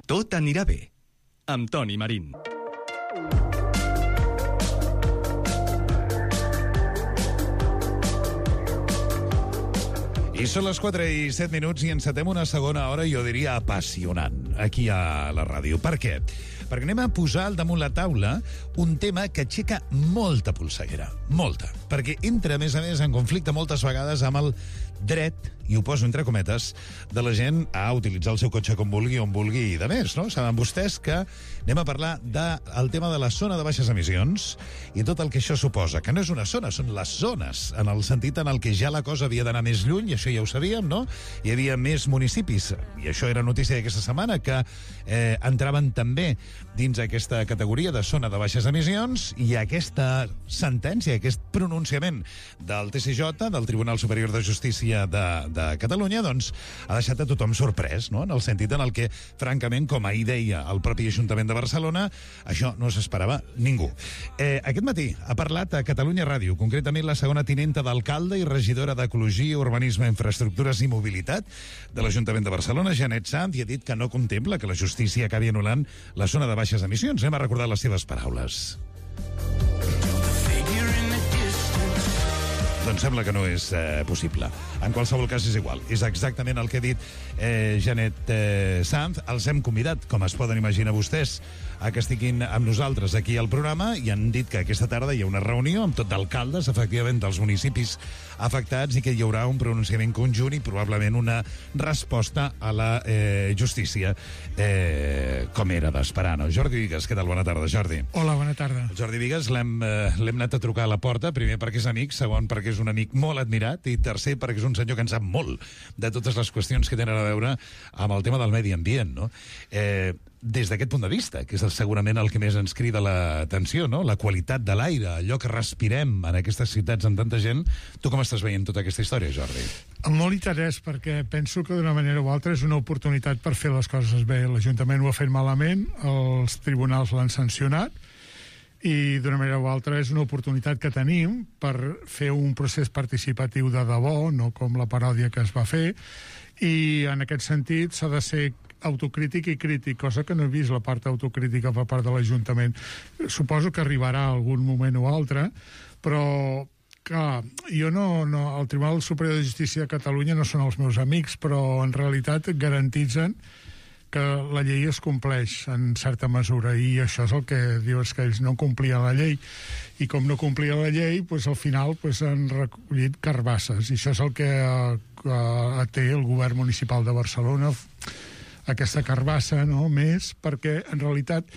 Tot anirà bé, amb Toni Marín. I són les 4:07 i encetem una segona hora, jo diria apassionant, aquí a la ràdio. Per què? Perquè anem a posar al damunt la taula un tema que aixeca molta polseguera, molta, perquè entra, a més, en conflicte moltes vegades amb el dret, i ho poso entre cometes, de la gent a utilitzar el seu cotxe com vulgui, on vulgui i de més, no? Saben vostès que anem a parlar del tema de la zona de baixes emissions i tot el que això suposa, que no és una zona, són les zones, en el sentit en el que ja la cosa havia d'anar més lluny, i això ja ho sabíem, no? Hi havia més municipis, i això era notícia d'aquesta setmana, que entraven també dins aquesta categoria de zona de baixes emissions, i aquesta sentència, aquest pronunciament del TSJ, del Tribunal Superior de Justícia de Catalunya, doncs ha deixat a tothom sorprès, no? En el sentit en el que, francament, com ahir deia el propi Ajuntament de Barcelona, això no s'esperava ningú. Aquest matí ha parlat a Catalunya Ràdio, concretament la segona tinenta d'alcalde i regidora d'Ecologia, Urbanisme, Infraestructures i Mobilitat de l'Ajuntament de Barcelona, Janet Sanz, i ha dit que no contempla que la justícia acabi anul·lant la zona de baixes emissions. Anem a recordar les seves paraules. Doncs sembla que no és possible. En qualsevol cas és igual. És exactament el que ha dit Janet Sanz. Els hem convidat, com es poden imaginar vostès, a que estiguin amb nosaltres aquí al programa, i han dit que aquesta tarda hi ha una reunió amb tot d'alcaldes, efectivament, dels municipis afectats, i que hi haurà un pronunciament conjunt i probablement una resposta a la justícia, com era d'esperar, no? Jordi Vigues, què tal? Bona tarda, Jordi. Hola, bona tarda. Jordi Vigues l'hem anat a trucar a la porta, primer perquè és amic, segon perquè és un amic molt admirat, i tercer perquè és un senyor que en sap molt de totes les qüestions que tenen a veure amb el tema del medi ambient, no? Des d'aquest punt de vista, que és segurament el que més ens crida l'atenció, no? La qualitat de l'aire, allò que respirem en aquestes ciutats amb tanta gent. Tu com estàs veient tota aquesta història, Jordi? Amb molt interès, perquè penso que d'una manera o altra és una oportunitat per fer les coses bé. L'Ajuntament ho ha fet malament, els tribunals l'han sancionat, i d'una manera o altra és una oportunitat que tenim per fer un procés participatiu de debò, no com la paròdia que es va fer, i en aquest sentit s'ha de ser autocrític i crític, cosa que no he vist la part autocrítica per part de l'Ajuntament. Suposo que arribarà algun moment o altre, però clar, jo el Tribunal Superior de Justícia de Catalunya no són els meus amics, però en realitat garantitzen que la llei es compleix en certa mesura, i això és el que dius, que ells no complien la llei, i com no complien la llei, doncs al final han recollit carbasses, i això és el que té el govern municipal de Barcelona, aquesta carbassa, no?, més, perquè en realitat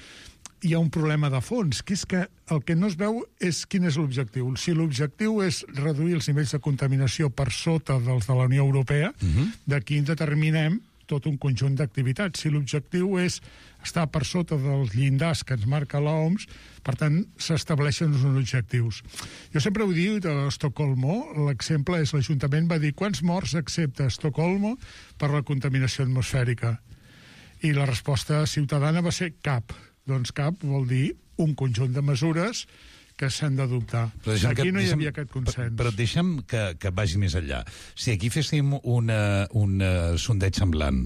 hi ha un problema de fons, que és que el que no es veu és quin és l'objectiu. Si l'objectiu és reduir els nivells de contaminació per sota dels de la Unió Europea, d'aquí en determinem tot un conjunt d'activitats. Si l'objectiu és estar per sota dels llindars que ens marca l'OMS, per tant, s'estableixen uns objectius. Jo sempre ho dic a Estocolmo, l'exemple és l'Ajuntament va dir quants morts accepta Estocolmo per la contaminació atmosfèrica? I la resposta ciutadana va ser cap. Doncs cap vol dir un conjunt de mesures que s'han d'adoptar. Aquí no hi havia aquest consens. Però deixa'm que vagi més enllà. Si aquí féssim un sondeig semblant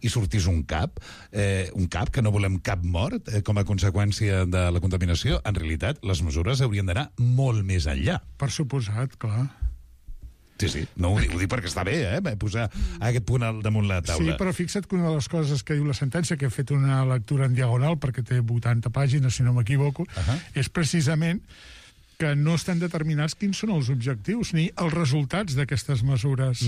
i sortís un cap que no volem cap mort com a conseqüència de la contaminació, en realitat les mesures haurien d'anar molt més enllà. Per suposat, clar. Sí, no ho dic perquè està bé, posar aquest punt al damunt la taula. Sí, però fixa't que una de les coses que diu la sentència, que he fet una lectura en diagonal, perquè té 80 pàgines, si no m'equivoco, és precisament que no estan determinats quins són els objectius ni els resultats d'aquestes mesures,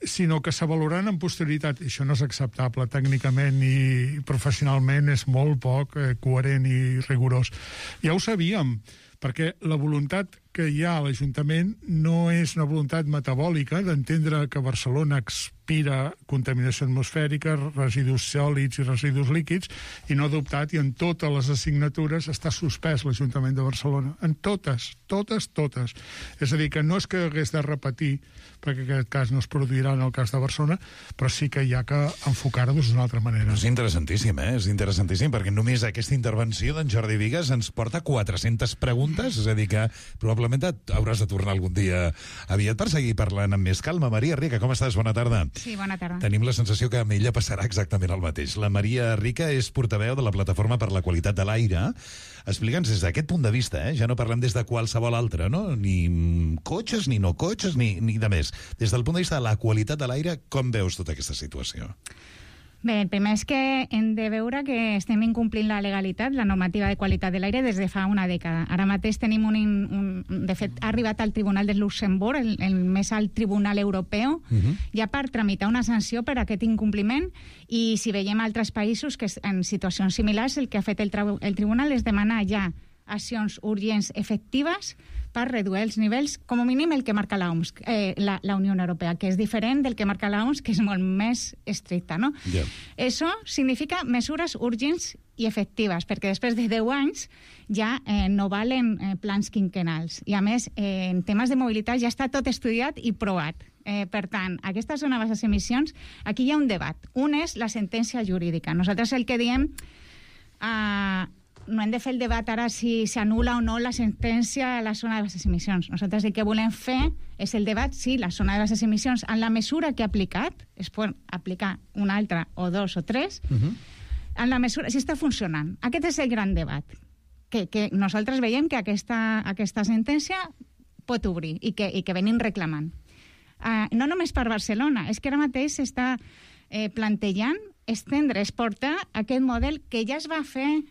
sinó que s'avaloraran en posterioritat. Això no és acceptable tècnicament i professionalment, és molt poc coherent i rigorós. Ja ho sabíem, perquè la voluntat que hi ha a l'Ajuntament no és una voluntat metabòlica d'entendre que Barcelona expira contaminació atmosfèrica, residus sòlids i residus líquids, i no ha adoptat, i en totes les assignatures està suspès l'Ajuntament de Barcelona. En totes. És a dir, que no és que hagués de repetir, perquè en aquest cas no es produirà en el cas de Barcelona, però sí que hi ha que enfocar-ho d'una altra manera. És interessantíssim, És interessantíssim, perquè només aquesta intervenció d'en Jordi Vigues ens porta 400 preguntes, és a dir que probablement hauràs de tornar algun dia aviat per seguir parlant amb més calma. Maria Rica, com estàs? Bona tarda. Sí, bona tarda. Tenim la sensació que amb ella passarà exactament el mateix. La Maria Rica és portaveu de la Plataforma per la Qualitat de l'Aire. Explica'ns des d'aquest punt de vista, ja no parlem des de qualsevol altre, no? Ni cotxes, ni no cotxes, ni de més. Des del punt de vista de la qualitat de l'aire, com veus tota aquesta situació? Bé, el primer és que hem de veure que estem incomplint la legalitat, la normativa de qualitat de l'aire, des de fa una dècada. Ara mateix tenim de fet, ha arribat al Tribunal de Luxemburg, el més alt tribunal europeu, ja per tramitar una sanció per aquest incompliment, i si veiem altres països que en situacions similars, el que ha fet el tribunal és demanar ja accions urgents efectives per reduir els nivells, com a mínim el que marca l'OMS, la Unió Europea, que és diferent del que marca l'OMS, que és molt més estricta, no? Yeah. Això significa mesures urgents i efectives, perquè després de 10 anys ja no valen plans quinquennals. I a més, en temes de mobilitat ja està tot estudiat i provat. Per tant, aquesta zona de baixes emissions, aquí hi ha un debat. Un és la sentència jurídica. Nosaltres el que diem... no hem de fer el debat ara si s'anul·la o no la sentència a la zona de baixes emissions. Nosaltres el que volem fer és el debat si la zona de baixes emissions, en la mesura que ha aplicat, es pot aplicar una altra o dos o tres, en la mesura, si està funcionant. Aquest és el gran debat, que nosaltres veiem que aquesta sentència pot obrir i que venim reclamant. No només per Barcelona, és que ara mateix s'està plantejant estendre, exportar aquest model que ja es va fer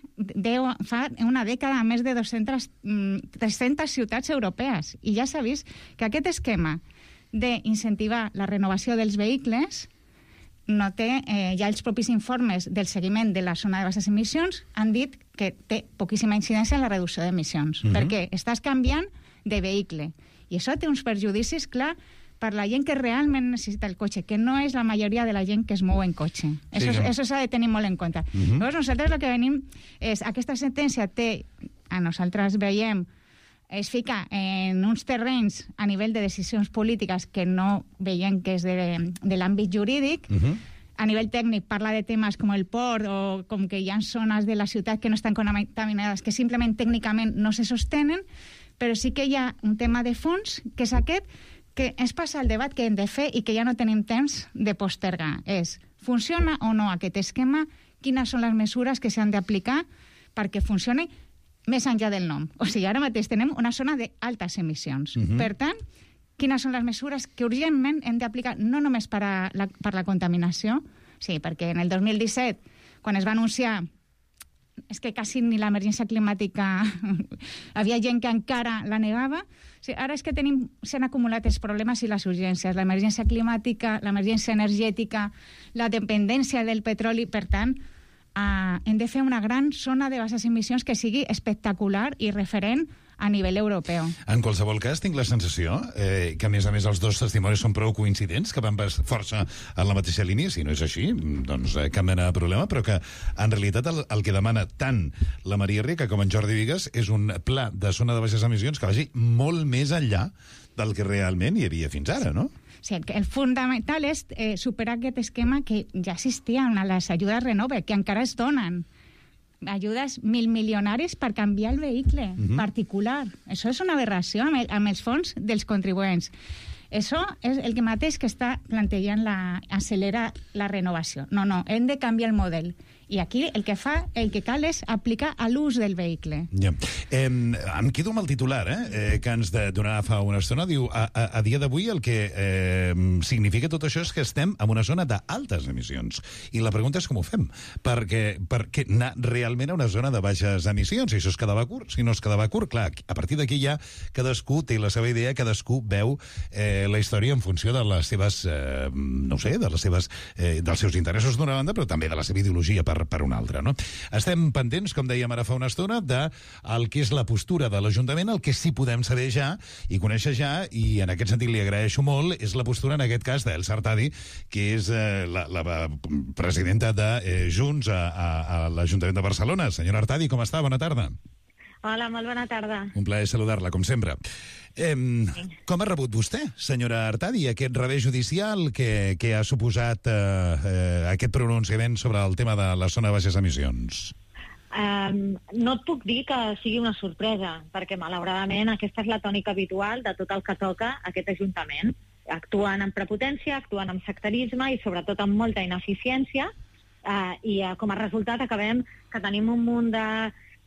fa una dècada a més de 300 ciutats europees. I ja s'ha vist que aquest esquema d'incentivar la renovació dels vehicles no té, ja els propis informes del seguiment de la zona de baixes emissions han dit que té poquíssima incidència en la reducció d'emissions, perquè estàs canviant de vehicle. I això té uns perjudicis, clar, per la gent que realment necessita el cotxe, que no és la majoria de la gent que es mou en cotxe. Això s'ha de tenir molt en compte. Llavors, nosaltres el que venim és, aquesta sentència nosaltres veiem, es fica en uns terrenys a nivell de decisions polítiques que no veiem que és de l'àmbit jurídic. A nivell tècnic parla de temes com el port o com que hi ha zones de la ciutat que no estan contaminades, que simplement tècnicament no se sostenen, però sí que hi ha un tema de fons, que és aquest, que ens passa el debat que hem de fer i que ja no tenim temps de postergar. És, funciona o no aquest esquema? Quines són les mesures que s'han d'aplicar perquè funcioni més enllà del nom? O sigui, ara mateix tenem una zona d'altes emissions. Per tant, quines són les mesures que urgentment hem d'aplicar, no només per la contaminació, sí, perquè en el 2017, quan es va anunciar és que quasi ni l'emergència climàtica havia gent que encara la negava. O sigui, ara és que s'han acumulat els problemes i les urgències, l'emergència climàtica, l'emergència energètica, la dependència del petroli. Per tant, hem de fer una gran zona de baixes emissions que sigui espectacular i referent a nivell europeu. En qualsevol cas, tinc la sensació que, a més, els dos testimonis són prou coincidents, que van força en la mateixa línia. Si no és així, doncs cap mena de problema, però que, en realitat, el que demana tant la Maria Rica com en Jordi Vigues és un pla de zona de baixes emissions que vagi molt més enllà del que realment hi havia fins ara, no? Sí, el fundamental és superar aquest esquema que ja existia en les ajudes Renove, que encara es donen. Ajudes milmilionaris per canviar el vehicle particular. Això és una aberració amb els fons dels contribuents. Això és el que mateix que està plantejant acelerar la renovació. No, hem de canviar el model. I aquí el que cal és aplicar a l'ús del vehicle. Ja. Em quedo amb el titular, que ens donarà fa una estona. Diu, a dia d'avui el que significa tot això és que estem en una zona d'altes emissions. I la pregunta és com ho fem. Perquè anar realment a una zona de baixes emissions, si això es quedava curt, si no es quedava curt, clar, a partir d'aquí ja cadascú té la seva idea, cadascú veu la història en funció de les seves, dels seus interessos d'una banda, però també de la seva ideologia per una altra, no? Estem pendents, com dèiem ara fa una estona, del que és la postura de l'Ajuntament, el que sí podem saber ja i conèixer ja, i en aquest sentit li agraeixo molt, és la postura, en aquest cas, d'Elsa Artadi, que és la presidenta de Junts a l'Ajuntament de Barcelona. Senyora Artadi, com està? Bona tarda. Hola, molt bona tarda. Un plaer saludar-la, com sempre. Com ha rebut vostè, senyora Artadi, aquest revés judicial que ha suposat aquest pronunciament sobre el tema de la zona de baixes emissions? No et puc dir que sigui una sorpresa, perquè malauradament aquesta és la tònica habitual de tot el que toca aquest Ajuntament. actuen amb prepotència, actuen amb sectarisme i sobretot amb molta ineficiència, i com a resultat acabem que tenim un munt de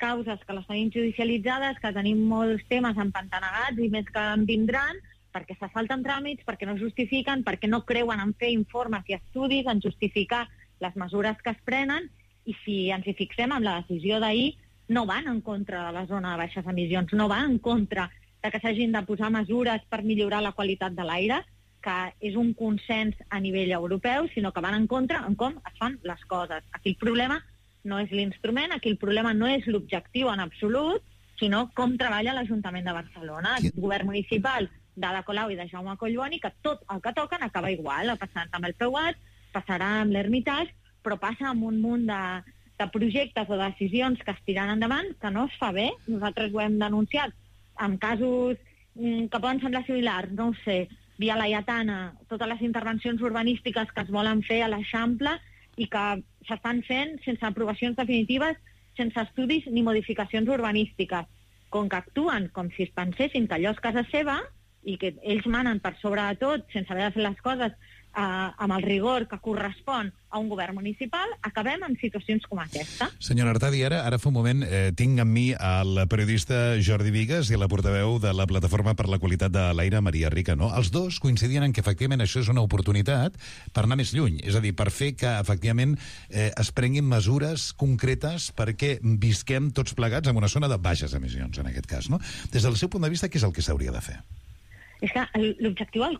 causes que les tenim judicialitzades, que tenim molts temes empantanegats i més que en vindran, perquè se salten tràmits, perquè no justifiquen, perquè no creuen en fer informes i estudis, en justificar les mesures que es prenen, i si ens hi fixem amb la decisió d'ahir, no van en contra de la zona de baixes emissions, no va en contra de que s'hagin de posar mesures per millorar la qualitat de l'aire, que és un consens a nivell europeu, sinó que van en contra en com es fan les coses. Aquí el problema no és l'instrument, aquí el problema no és l'objectiu en absolut, sinó com treballa l'Ajuntament de Barcelona, el govern municipal d'Ada Colau i de Jaume Collboni, que tot el que toquen acaba igual, ha passat amb el Peuat, passarà amb l'Hermitage, però passa amb un munt de projectes o decisions que es tiren endavant, que no es fa bé. Nosaltres ho hem denunciat en casos que poden semblar similars, no ho sé, Via Laietana, totes les intervencions urbanístiques que es volen fer a l'Eixample i que s'estan fent sense aprovacions definitives, sense estudis ni modificacions urbanístiques. Com que actuen com si es pensessin que allò és casa seva i que ells manen per sobre de tot sense haver de fer les coses amb el rigor que correspon a un govern municipal, acabem en situacions com aquesta. Senyora Artadi, ara fa un moment tinc amb mi el periodista Jordi Bigues i la portaveu de la Plataforma per la Qualitat de l'Aire, Maria Rica, no? Els dos coincidien en que efectivament això és una oportunitat per anar més lluny, és a dir, per fer que efectivament es prenguin mesures concretes perquè visquem tots plegats en una zona de baixes emissions, en aquest cas, no? Des del seu punt de vista, què és el que s'hauria de fer? És que l'objectiu el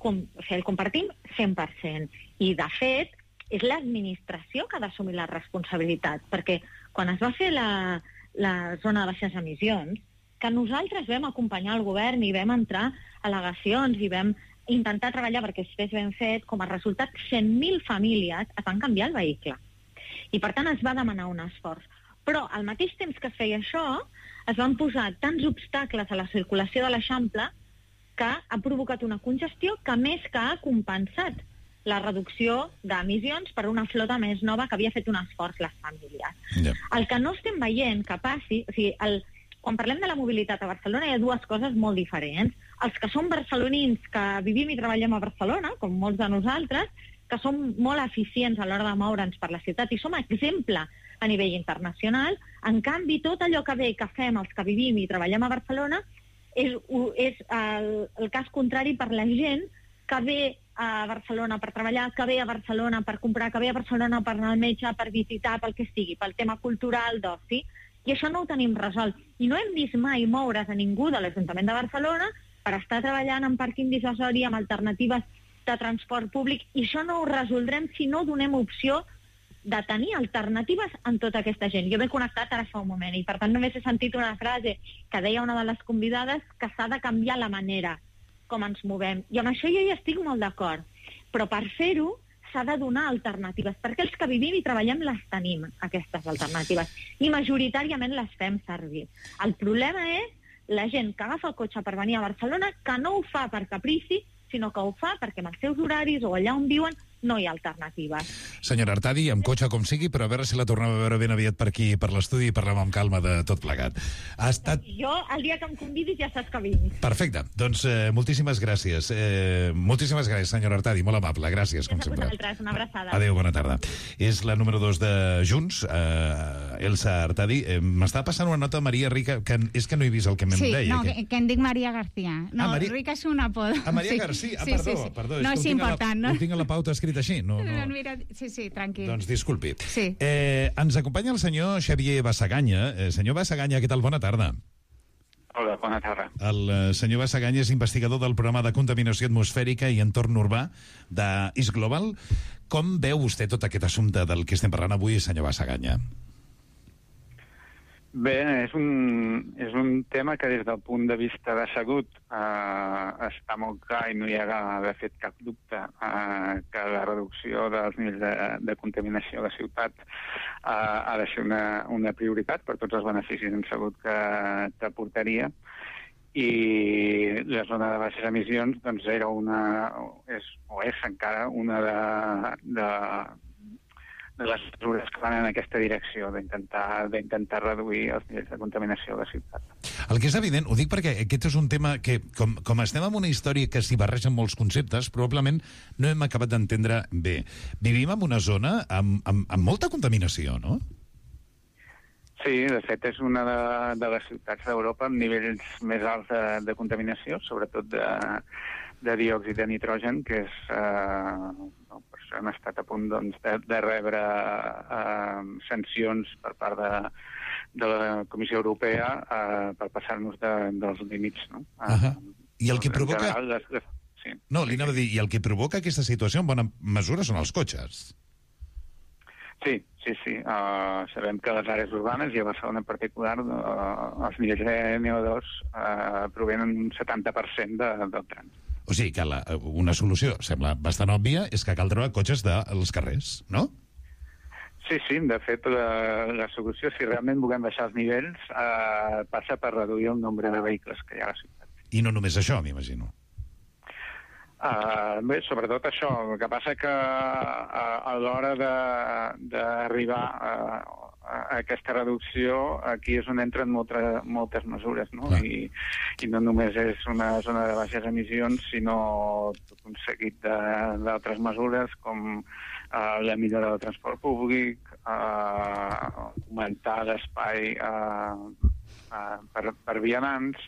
compartim 100%, i de fet és l'administració que ha d'assumir la responsabilitat, perquè quan es va fer la zona de baixes emissions, que nosaltres vam acompanyar el govern i vam entrar al·legacions i vam intentar treballar perquè estigués ben fet, com a resultat 100.000 famílies es van canviar el vehicle. I per tant es va demanar un esforç. Però al mateix temps que es feia això, es van posar tants obstacles a la circulació de l'Eixample que ha provocat una congestió que més que ha compensat la reducció d'emissions per una flota més nova que havia fet un esforç les famílies. Yeah. El que no estem veient que passi... O sigui, quan parlem de la mobilitat a Barcelona hi ha dues coses molt diferents. Els que som barcelonins, que vivim i treballem a Barcelona, com molts de nosaltres, que som molt eficients a l'hora de moure'ns per la ciutat i som exemple a nivell internacional. En canvi, tot allò que bé que fem els que vivim i treballem a Barcelona és el cas contrari per la gent que ve a Barcelona per treballar, que ve a Barcelona per comprar, que ve a Barcelona per anar al metge, per visitar, pel que sigui, pel tema cultural, d'oci, i això no ho tenim resolt. I no hem vist mai moure's a ningú de l'Ajuntament de Barcelona per estar treballant en pàrquing dissuasori, amb alternatives de transport públic, i això no ho resoldrem si no donem opció de tenir alternatives en tota aquesta gent. Jo m'he connectat ara fa un moment i per tant només he sentit una frase que deia una de les convidades, que s'ha de canviar la manera com ens movem. I amb això jo hi estic molt d'acord. Però per fer-ho s'ha de donar alternatives, perquè els que vivim i treballem les tenim, aquestes alternatives, i majoritàriament les fem servir. El problema és la gent que agafa el cotxe per venir a Barcelona, que no ho fa per caprici, sinó que ho fa perquè amb els seus horaris o allà on viuen no hi ha alternatives. Senyora Artadi, amb cotxe com sigui, però a veure si la tornem a veure ben aviat per aquí, per l'estudi, i parlem amb calma de tot plegat. Ha estat... Jo, el dia que em convidis, ja saps que vinc. Perfecte. Doncs moltíssimes gràcies. Moltíssimes gràcies, senyora Artadi. Molt amable. Gràcies, com sempre. Una abraçada. Adéu, bona tarda. És la número 2 de Junts, Elsa Artadi. M'està passant una nota, Maria Rica, que és que no he vist el que me'n deia. Sí, no, que em dic Maria García. No, Maria... Rica és un apodo. Maria García. Perdó. No és important, no? Ho tinc a la pauta escrit així. No. Mira, sí, tranquil. Doncs disculpi. Sí. Ens acompanya el senyor Xavier Bassaganya. Senyor Bassaganya, què tal? Bona tarda. Hola, bona tarda. El senyor Bassaganya és investigador del programa de contaminació atmosfèrica i entorn urbà d'East Global. Com veu vostè tot aquest assumpte del que estem parlant avui, senyor Bassaganya? Bé, és un tema que des del punt de vista de salut està molt clar i no hi ha de fet cap dubte que la reducció dels nivells de contaminació a la ciutat ha de ser una prioritat per tots els beneficis en salut que aportaria. I la zona de baixes emissions doncs era és encara una de les mesures que van en aquesta direcció d'intentar reduir els nivells de contaminació a la ciutat. El que és evident, ho dic perquè aquest és un tema que, com estem en una història que s'hi barregen molts conceptes, probablement no hem acabat d'entendre bé. Vivim en una zona amb molta contaminació, no? Sí, de fet és una de les ciutats d'Europa amb nivells més alts de contaminació, sobretot de diòxid de nitrogen, que és... per això hem estat a punt de rebre sancions per part de la Comissió Europea per passar-nos dels límits. No? I el que provoca... Sí. No, li anava a dir, i el que provoca aquesta situació en bona mesura són els cotxes. Sí. Sabem que a les àrees urbanes, i a Barcelona en particular, els nivells de NO2 provenen un 70% del trànsit. O sigui que una solució, sembla bastant òbvia, és que cal treure cotxes dels carrers, no? Sí, de fet, la solució, si realment volem baixar els nivells, passa per reduir el nombre de vehicles que hi ha a la ciutat. I no només això, m'imagino. Bé, sobretot això. El que passa que a l'hora d'arribar a aquesta reducció, aquí és on entren moltes mesures, no? I no només és una zona de baixes emissions, sinó tot un seguit d'altres mesures, com la millora del transport públic, augmentar l'espai per vianants,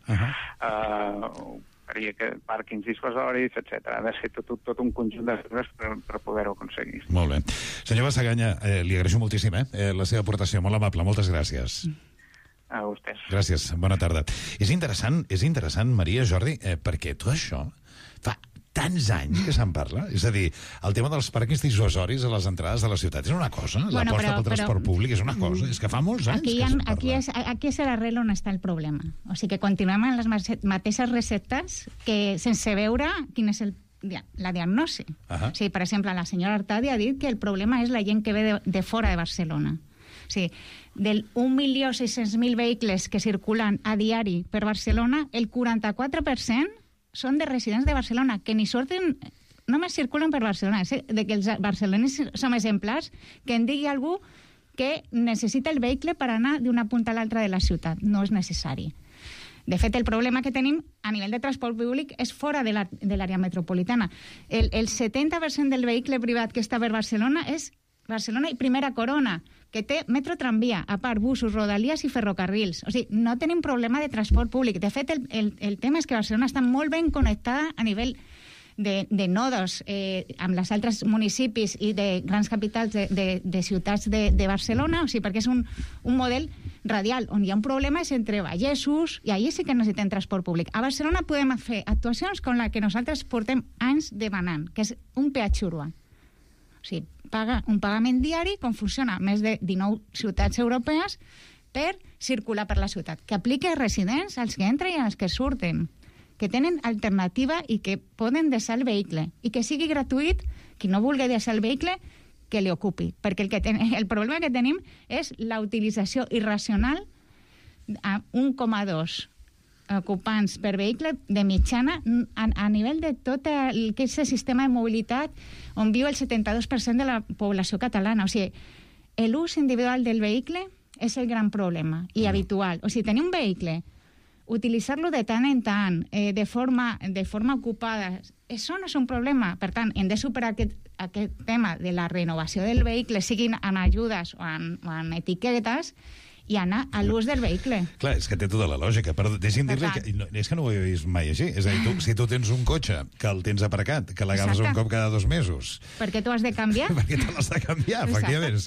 pàrquings dissuasoris, etc. Ha de ser tot un conjunt de mesures per poder-ho aconseguir. Molt bé. Senyor Basaganya, li agraeixo moltíssim la seva aportació, molt amable, moltes gràcies. A vostès. Gràcies, bona tarda. És interessant, Maria, Jordi, perquè tot això fa tants anys que se'n parla. És a dir, el tema dels pàrquings dissuasoris a les entrades de la ciutat és una cosa, l'aposta pel transport públic és una cosa, és que fa molts anys que se'n parla. Aquí és l'arrel on està el problema. O sigui que continuem amb les mateixes receptes que sense veure quin és la diagnosi. O sigui, per exemple, la senyora Artadi ha dit que el problema és la gent que ve de fora de Barcelona. O sigui, del 1.600.000 vehicles que circulen a diari per Barcelona, el 44% són de residents de Barcelona, que ni surten, només circulen per Barcelona. De que els barcelonis som exemplars, que en digui algú que necessita el vehicle per anar d'una punta a l'altra de la ciutat. No és necessari. De fet, el problema que tenim a nivell de transport públic és fora de l'àrea metropolitana. El 70% del vehicle privat que està per Barcelona és Barcelona i Primera Corona, que té metro tramvia, a part busos, rodalies i ferrocarrils. O sigui, no tenim problema de transport públic. De fet, el tema és que Barcelona està molt ben connectada a nivell de nodos amb els altres municipis i de grans capitals de ciutats de Barcelona, o sigui, perquè és un model radial. On hi ha un problema és entre vallesos, i allà sí que necessitem transport públic. A Barcelona podem fer actuacions com la que nosaltres portem anys demanant, que és un peatge urbà. O sigui, un pagament diari, com funciona més de 19 ciutats europees, per circular per la ciutat. Que apliqui als residents, als que entren i als que surten, que tenen alternativa i que poden deixar el vehicle. I que sigui gratuït, qui no vulgui deixar el vehicle, que li ocupi. Perquè el problema que tenim és la utilització irracional a 1,2 ocupants per vehicle de mitjana a nivell de tot el que és el sistema de mobilitat on viu el 72% de la població catalana. O sigui, l'ús individual del vehicle és el gran problema i habitual. O sigui, tenir un vehicle, utilitzar-lo de tant en tant, de forma ocupada, això no és un problema. Per tant, hem de superar aquest tema de la renovació del vehicle, siguin en ajudes o en etiquetes, i anar a l'ús del vehicle. Clar, és que té tota la lògica, però deixi'm dir-li que és que no ho he vist mai així. És a dir, si tu tens un cotxe que el tens aparcat, que l'agafes un cop cada 2 mesos... Per què t'ho has de canviar? Perquè te l'has de canviar, efectivament.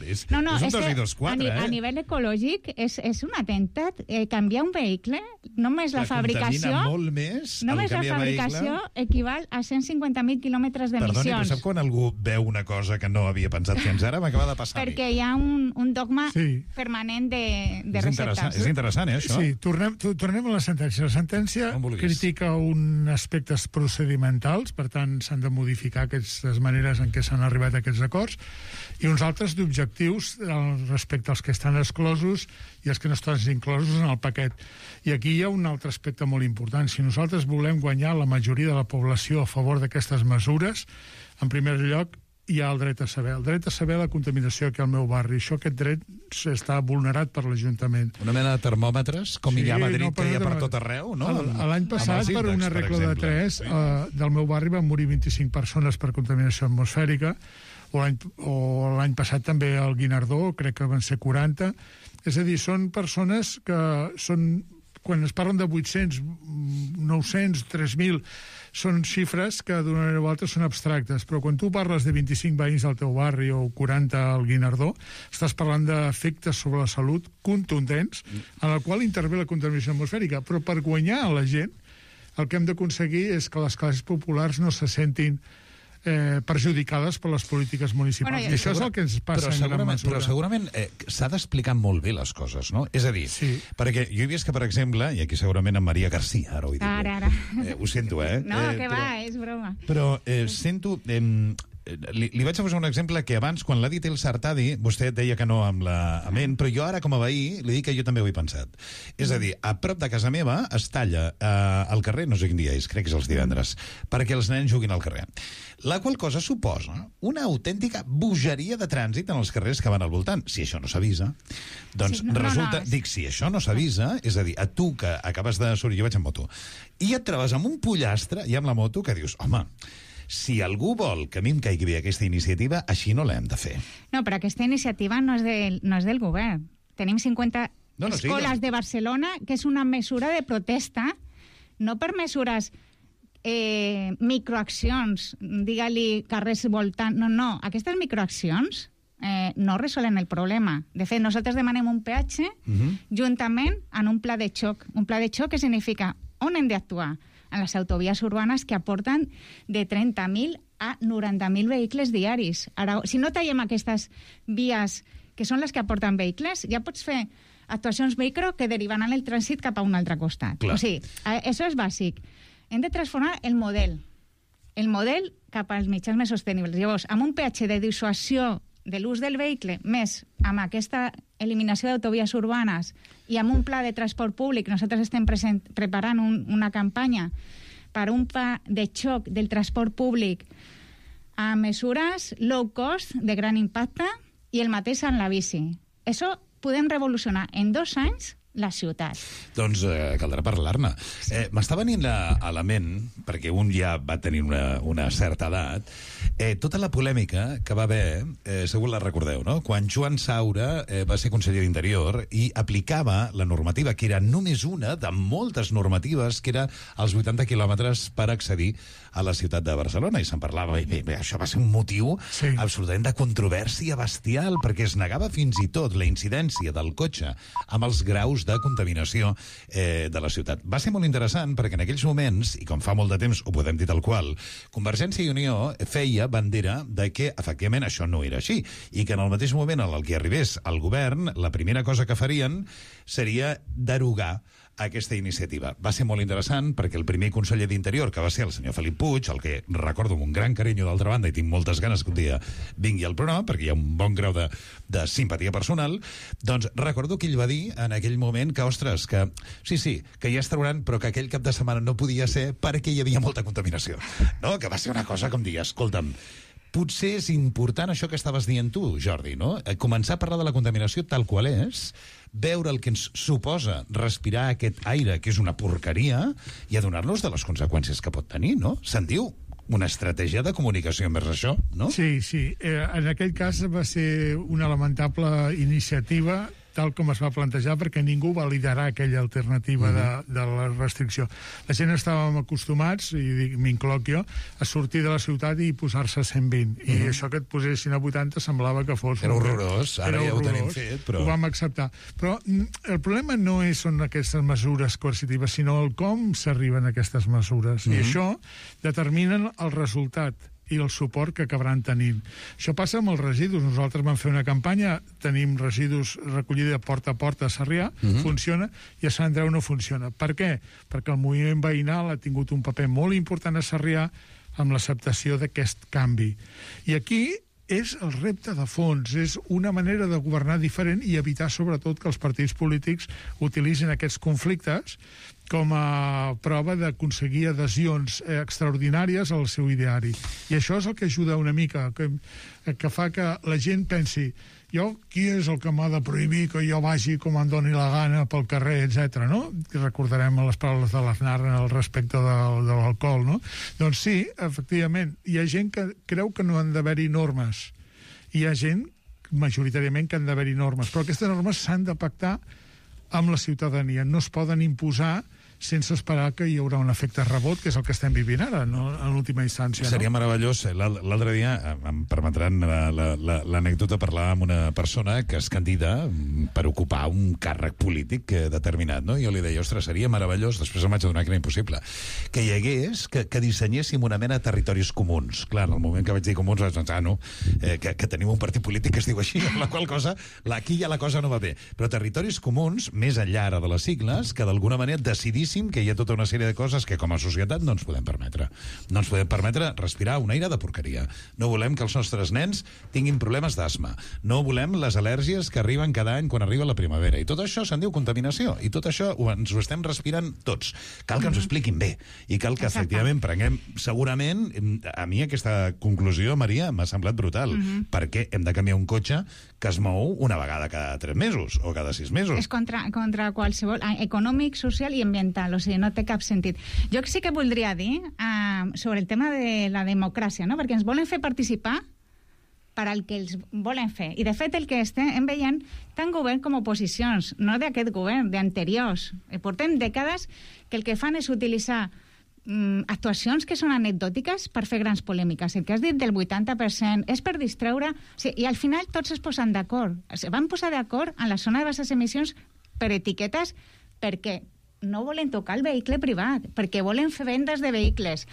És un 2 i 2, 4, a nivell ecològic és un atemptat. Canviar un vehicle, només la fabricació... Contamina molt més. Només la fabricació equival a 150.000 quilòmetres d'emissions. Perdoni, però sap quan algú veu una cosa que no havia pensat fins ara? M'acaba de passar. Perquè hi ha un dogma permanent de receptes. És interessant, això? Sí, tornem a la sentència. La sentència critica un aspectes procedimentals, per tant, s'han de modificar aquestes maneres en què s'han arribat a aquests acords, i uns altres d'objectius respecte als que estan exclosos i els que no estan inclosos en el paquet. I aquí hi ha un altre aspecte molt important. Si nosaltres volem guanyar la majoria de la població a favor d'aquestes mesures, en primer lloc, hi ha el dret a saber. El dret a saber la contaminació que al meu barri. Aquest dret està vulnerat per l'Ajuntament. Una mena de termòmetres, com hi ha a Madrid, que hi ha per tot arreu, no? L'any passat, per una regla de 3, del meu barri van morir 25 persones per contaminació atmosfèrica, o l'any passat també al Guinardó, crec que van ser 40. És a dir, són persones que són... Quan es parlen de 800, 900, 3.000, són xifres que d'una manera o altra són abstractes, però quan tu parles de 25 veïns al teu barri o 40 al Guinardó, estàs parlant d'efectes sobre la salut contundents, en el qual intervé la contaminació atmosfèrica. Però per guanyar a la gent, el que hem d'aconseguir és que les classes populars no se sentin perjudicades per les polítiques municipals. I això és el que ens passa en gran mesura. Però segurament s'ha d'explicar molt bé les coses, no? És a dir, perquè jo he vist que, per exemple, i aquí segurament en Maria García, ara ho he dit. Ara. Ho sento, No, que va, és broma. Però sento... Li vaig a posar un exemple que abans, quan l'ha dit el Sartadi, vostè deia que no amb la ment, però jo ara, com a veí, li dic que jo també ho he pensat. És a dir, a prop de casa meva es talla al carrer, no sé quin dia és, crec que és els divendres, perquè els nens juguin al carrer. La qual cosa suposa una autèntica bogeria de trànsit en els carrers que van al voltant. Si això no s'avisa, doncs resulta... Dic, si això no s'avisa, és a dir, a tu que acabes de sortir, jo vaig en moto, i et trobes amb un pollastre i amb la moto que dius, home, si algú vol que a mi em caigui bé aquesta iniciativa, així no l'hem de fer. No, però aquesta iniciativa no és del govern. Tenim 50 escoles de Barcelona, que és una mesura de protesta, no per mesures microaccions, digue-li carrers voltant... No, aquestes microaccions no resolen el problema. De fet, nosaltres demanem un peatge juntament en un pla de xoc. Un pla de xoc que significa on hem d'actuar? En les autovies urbanes que aporten de 30.000 a 90.000 vehicles diaris. Ara, si no tallem aquestes vies que són les que aporten vehicles, ja pots fer actuacions micro que derivaran el trànsit cap a un altre costat. Clar. O sigui, això és bàsic. Hem de transformar el model cap als mitjans més sostenibles. Llavors, amb un peatge de dissuasió de l'ús del vehicle, més amb aquesta eliminació d'autovies urbanes i amb un pla de transport públic, nosaltres estem preparant una campanya per un pla de xoc del transport públic a mesures low cost, de gran impacte, i el mateix en la bici. Això podem revolucionar en 2 anys la ciutat. Doncs caldrà parlar-ne. M'està venint a la ment, perquè un ja va tenir una certa edat, tota la polèmica que va haver, segur la recordeu, no? Quan Joan Saura va ser conseller d'Interior i aplicava la normativa, que era només una de moltes normatives, que era els 80 quilòmetres per accedir a la ciutat de Barcelona, i se'n parlava, i bé, això va ser un motiu absolutament de controvèrsia bestial, perquè es negava fins i tot la incidència del cotxe amb els graus de contaminació de la ciutat. Va ser molt interessant perquè en aquells moments, i com fa molt de temps ho podem dir tal qual, Convergència i Unió feia bandera de que efectivament això no era així, i que en el mateix moment en el que arribés al govern, la primera cosa que farien seria derogar aquesta iniciativa. Va ser molt interessant perquè el primer conseller d'Interior, que va ser el senyor Felip Puig, el que recordo amb un gran carinyo d'altra banda i tinc moltes ganes que un dia vingui al programa perquè hi ha un bon grau de simpatia personal, doncs recordo que ell va dir en aquell moment que, ostres, que sí, que ja es trauran, però que aquell cap de setmana no podia ser perquè hi havia molta contaminació. No? Que va ser una cosa com dir, escolta'm, potser és important això que estaves dient tu, Jordi, no? Començar a parlar de la contaminació tal qual és, veure el que ens suposa respirar aquest aire, que és una porqueria, i adonar-nos de les conseqüències que pot tenir, no? Se'n diu una estratègia de comunicació envers això, no? Sí. En aquell cas va ser una lamentable iniciativa tal com es va plantejar, perquè ningú va liderar aquella alternativa de la restricció. La gent estàvem acostumats, i m'incloc jo, a sortir de la ciutat i posar-se a 120. I això que et posessin a 80 semblava que fos... Era horrorós, ara ja ho tenim fet, però... Ho vam acceptar. Però el problema no són aquestes mesures coercitives, sinó el com s'arriben a aquestes mesures. I això determinen el resultat i el suport que acabaran tenint. Això passa amb els residus. Nosaltres vam fer una campanya, tenim residus recollida porta a porta a Sarrià, funciona, i a Sant Andreu no funciona. Per què? Perquè el moviment veïnal ha tingut un paper molt important a Sarrià amb l'acceptació d'aquest canvi. I aquí és el repte de fons, és una manera de governar diferent i evitar sobretot que els partits polítics utilitzin aquests conflictes com a prova d'aconseguir adhesions extraordinàries al seu ideari. I això és el que ajuda una mica, que fa que la gent pensi qui és el que m'ha de prohibir que jo vagi com em doni la gana pel carrer, etc. no? Recordarem les paraules de l'Aznar al respecte de l'alcohol, no? Doncs sí, efectivament, hi ha gent que creu que no han d'haver-hi normes. Hi ha gent, majoritàriament, que han d'haver-hi normes. Però aquestes normes s'han de pactar amb la ciutadania. No es poden imposar sense esperar que hi haurà un efecte rebot, que és el que estem vivint ara, no? En l'última instància. Seria meravellós. L'altre dia, em permetran l'anècdota, parlar amb una persona que es candida per ocupar un càrrec polític determinat, no? Jo li deia, ostres, seria meravellós, després em vaig adonar que era impossible, que hi hagués, que dissenyéssim una mena de territoris comuns. Clar, en el moment que vaig dir comuns vaig pensar, que tenim un partit polític que es diu així, amb la qual cosa, aquí ja la cosa no va bé. Però territoris comuns, més enllà ara de les sigles, que d'alguna manera decidís que hi ha tota una sèrie de coses que com a societat no ens podem permetre. No ens podem permetre respirar un aire de porqueria. No volem que els nostres nens tinguin problemes d'asma. No volem les al·lèrgies que arriben cada any quan arriba la primavera. I tot això se'n diu contaminació. I tot això ens ho estem respirant tots. Cal que ens ho expliquin bé. I cal que, efectivament, prenguem... Segurament, a mi aquesta conclusió, Maria, m'ha semblat brutal. Perquè hem de canviar un cotxe que es mou una vegada cada 3 mesos o cada 6 mesos. És contra qualsevol... econòmic, social i ambiental. O sigui, no té cap sentit. Jo sí que voldria dir sobre el tema de la democràcia, no? Perquè ens volen fer participar per al que els volen fer. I, de fet, el que estem veient, tant govern com oposicions, no d'aquest govern, d'anteriors. Portem dècades que el que fan és utilitzar actuacions que són anecdòtiques per fer grans polèmiques. El que has dit del 80% és per distreure... O sigui, i al final tots es posen d'acord. Van posar d'acord en la zona de baixes emissions per etiquetes perquè no volen tocar el vehicle privat, perquè volen fer vendes de vehicles.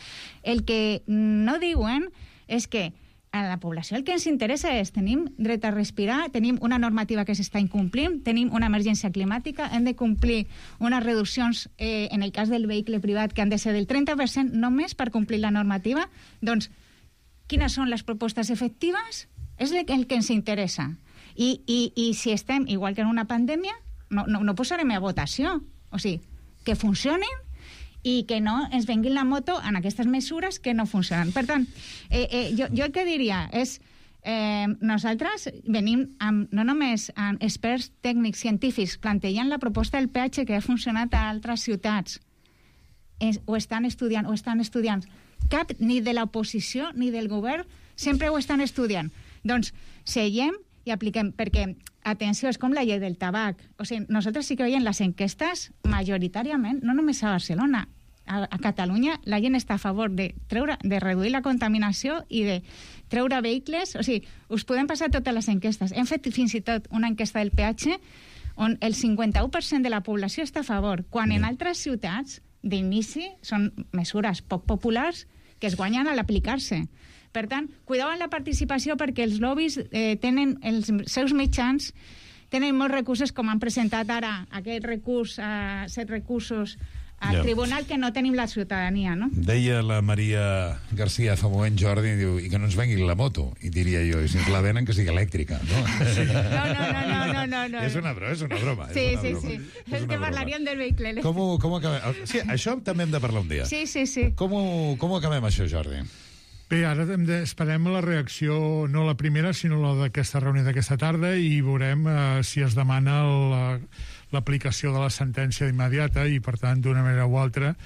El que no diuen és que a la població el que ens interessa és tenim dret a respirar, tenim una normativa que s'està incomplint, tenim una emergència climàtica, hem de complir unes reduccions en el cas del vehicle privat que han de ser del 30% només per complir la normativa. Doncs, quines són les propostes efectives? És el que ens interessa. I si estem, igual que en una pandèmia, no posarem a votació. O sigui, que funcionin i que no ens venguin la moto en aquestes mesures que no funcionen. Per tant, jo el que diria és nosaltres venim amb, no només amb experts tècnics científics plantejant la proposta del peatge que ha funcionat a altres ciutats, ho estan estudiant. Cap ni de l'oposició ni del govern sempre ho estan estudiant. Doncs seiem i apliquem, perquè, atenció, és com la llei del tabac. O sigui, nosaltres sí que veiem les enquestes majoritàriament, no només a Barcelona, a Catalunya la gent està a favor de reduir la contaminació i de treure vehicles. O sigui, us podem passar totes les enquestes. Hem fet fins i tot una enquesta del peatge on el 51% de la població està a favor, quan en altres ciutats d'inici són mesures poc populars que es guanyen a l'aplicar-se. Per tant, cuideu amb la participació perquè els lobbies tenen els seus mitjans, tenen molts recursos, com han presentat ara aquest recurs, 7 recursos al tribunal que no tenim la ciutadania, no? Deia la Maria García fa un moment, Jordi, diu, i que no ens vengui la moto. I diria jo, i si ens la venen que sigui elèctrica, no? No. És una broma. Sí. És que parlaríem del vehicle elèctric. Com acabem? Sí, això també hem de parlar un dia. Sí. Com acabem això, Jordi? Bé, ara esperem la reacció, no la primera, sinó la d'aquesta reunió d'aquesta tarda, i veurem si es demana l'aplicació de la sentència immediata i, per tant, d'una manera o altra,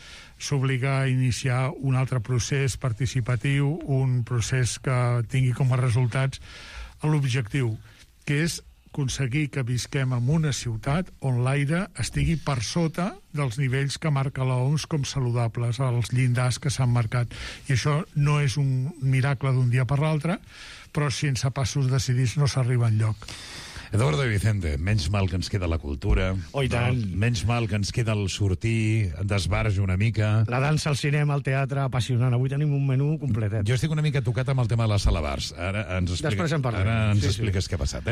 s'obliga a iniciar un altre procés participatiu, un procés que tingui com a resultats l'objectiu, que és aconseguir que visquem en una ciutat on l'aire estigui per sota dels nivells que marca l'OMS com saludables, els llindars que s'han marcat. I això no és un miracle d'un dia per l'altre, però sense passos decidits no s'arriba enlloc. Eduardo i Vicente, menys mal que ens queda la cultura. Oh, i tant. Menys mal que ens queda el sortir, d'esbarjo una mica. La dansa, el cinema, el teatre, apassionant. Avui tenim un menú completet. Jo estic una mica tocat amb el tema de les salabars. Ara ens Després en parlem. Ara ens Sí, expliques què ha passat,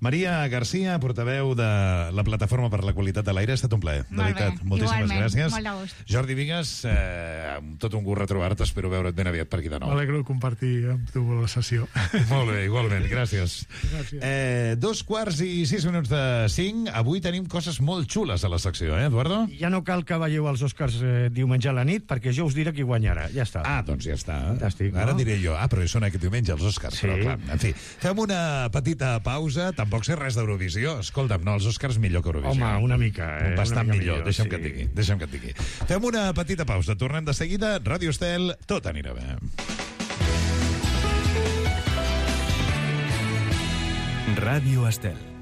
Maria Garcia, portaveu de la Plataforma per la Qualitat de l'Aire, ha estat un plaer. De Molt veritat, bé, moltíssimes igualment, gràcies. molt de gust. Jordi Vigues, amb tot un gust retrobar-te, espero veure't ben aviat per aquí de nou. M'alegro de compartir amb tu la sessió. Molt bé, igualment, gràcies. Gràcies. 2:06 Avui tenim coses molt xules a la secció, Eduardo? Ja no cal que veieu els Oscars diumenge a la nit, perquè jo us diré qui guanyarà. Ja està. Ah, doncs ja està. Fantàstic, Ara no? diré jo, però són aquest diumenge els Oscars. Sí. Però clar, en fi, fem una petita pausa. Tampoc sé res d'Eurovisió. Escolta'm, no, els Oscars millor que Eurovisió. Home, una mica, Bastant una mica millor, deixa'm sí. que et digui. Deixa'm que et digui. Fem una petita pausa. Tornem de seguida. Ràdio Estel, tot anirà bé. Radio Estel.